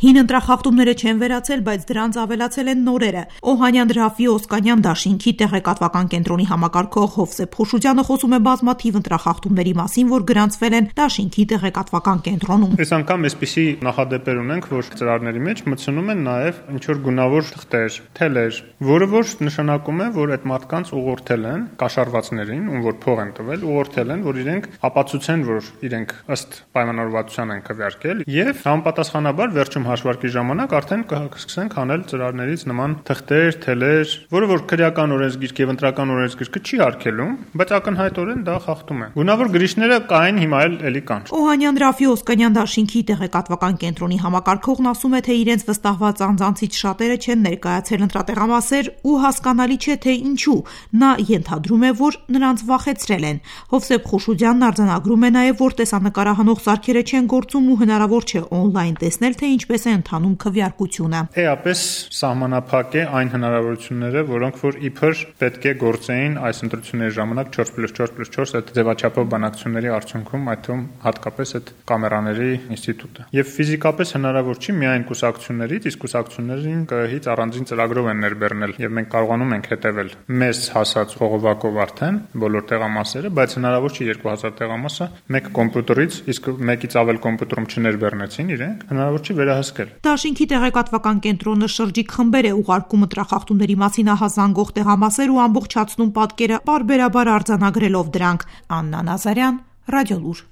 Հին ընտրախախտումները չեն վերացել, բայց դրանց ավելացել են նորերը։ Օհանյան Ռաֆի Օսկանյան դաշինքի տեղեկատվական կենտրոնի համակարգող Հովսեփ Խոշուջյանը խոսում է բազմաթիվ ընտրախախտումների մասին, որ գրանցվել են դաշինքի տեղեկատվական կենտրոնում։ Այս անգամ այսպիսի նախադեպեր ունենք, որ ծրարների մեջ մտցնում են նաև ինչ-որ գունավոր թղթեր, թելեր, որը որ նշանակում է, որ այդ մարդկանց ուղղորդել են կաշառվածներին, ում որ փող են տվել, ուղղորդել են, որ իրենք ապացուցեն, որ իրենք ըստ պայմանավորվածության են քվեարկել, եւ համապատասխանաբար վերջում հաշվարկի ժամանակ արդեն կսկսենք անել ծրարներից նման թղթեր, թելեր, որը որ քրեական օրենսգիրք եւ ընտրական օրենսգիրքը չի արգելում, բայց ակնհայտորեն դա խախտում է։ Գունավոր գրիչները կային, հիմա էլի կան։ Օհանյան Ռաֆի Օսկանյան դաշինքի տեղեկատվական կենտրոնի համակարգողն ասում է, թե իրենց վստահված անձանցից շատերը չեն ներկայացել ընտրատեղամասեր ու հասկանալի չէ, թե ինչու։ Նա ենթադրում է, որ նրանց վախեցրել են։ Հովսեփ Խոշուջյանն արձանագրում է նաև, որ տեսանկարահանող սարքերը չեն գործում ու հնարավոր չէ օնլայն տեսնել, թե ինչպես է ընթանում քվեարկությունը։ Էապես սահմանափակ է այն հնարավորությունները, որոնք որ իբր պետք է գործեին այս ընտրությունների ժամանակ 4+4+4 այդ ձևաչափով բանակցությունների արդյունքում, այդ թվում հատկապես այդ կամերաների ինստիտուտը։ Եվ ֆիզիկապես հնարավոր չի միայն կուսակցություններից, իսկ կուսակցություններին ԿԸՀ-ից առանձին ծրագրով են ներբեռնել, եւ մենք կարողանում ենք հետևել մեզ հասած խողովակով արդեն բոլոր տեղամասերը, բայց հնարավոր չի 2000 տեղամասը մեկ կոմպյուտերից, իսկ մեկից ավել կոմպյուտերում չներբեռնեցին իրենք, հնարավոր չի վերահսկել։ Դաշինքի տեղեկատվական կենտրոնը շրջիկ խմբեր է ուղարկում ընտրախախտումների մասին ահազանգող տեղամասեր ու ամբողջացնում պատկերը պարբերաբար արձանագրելով դրանք։ Աննա Նազարյան, Ռադիոլուր։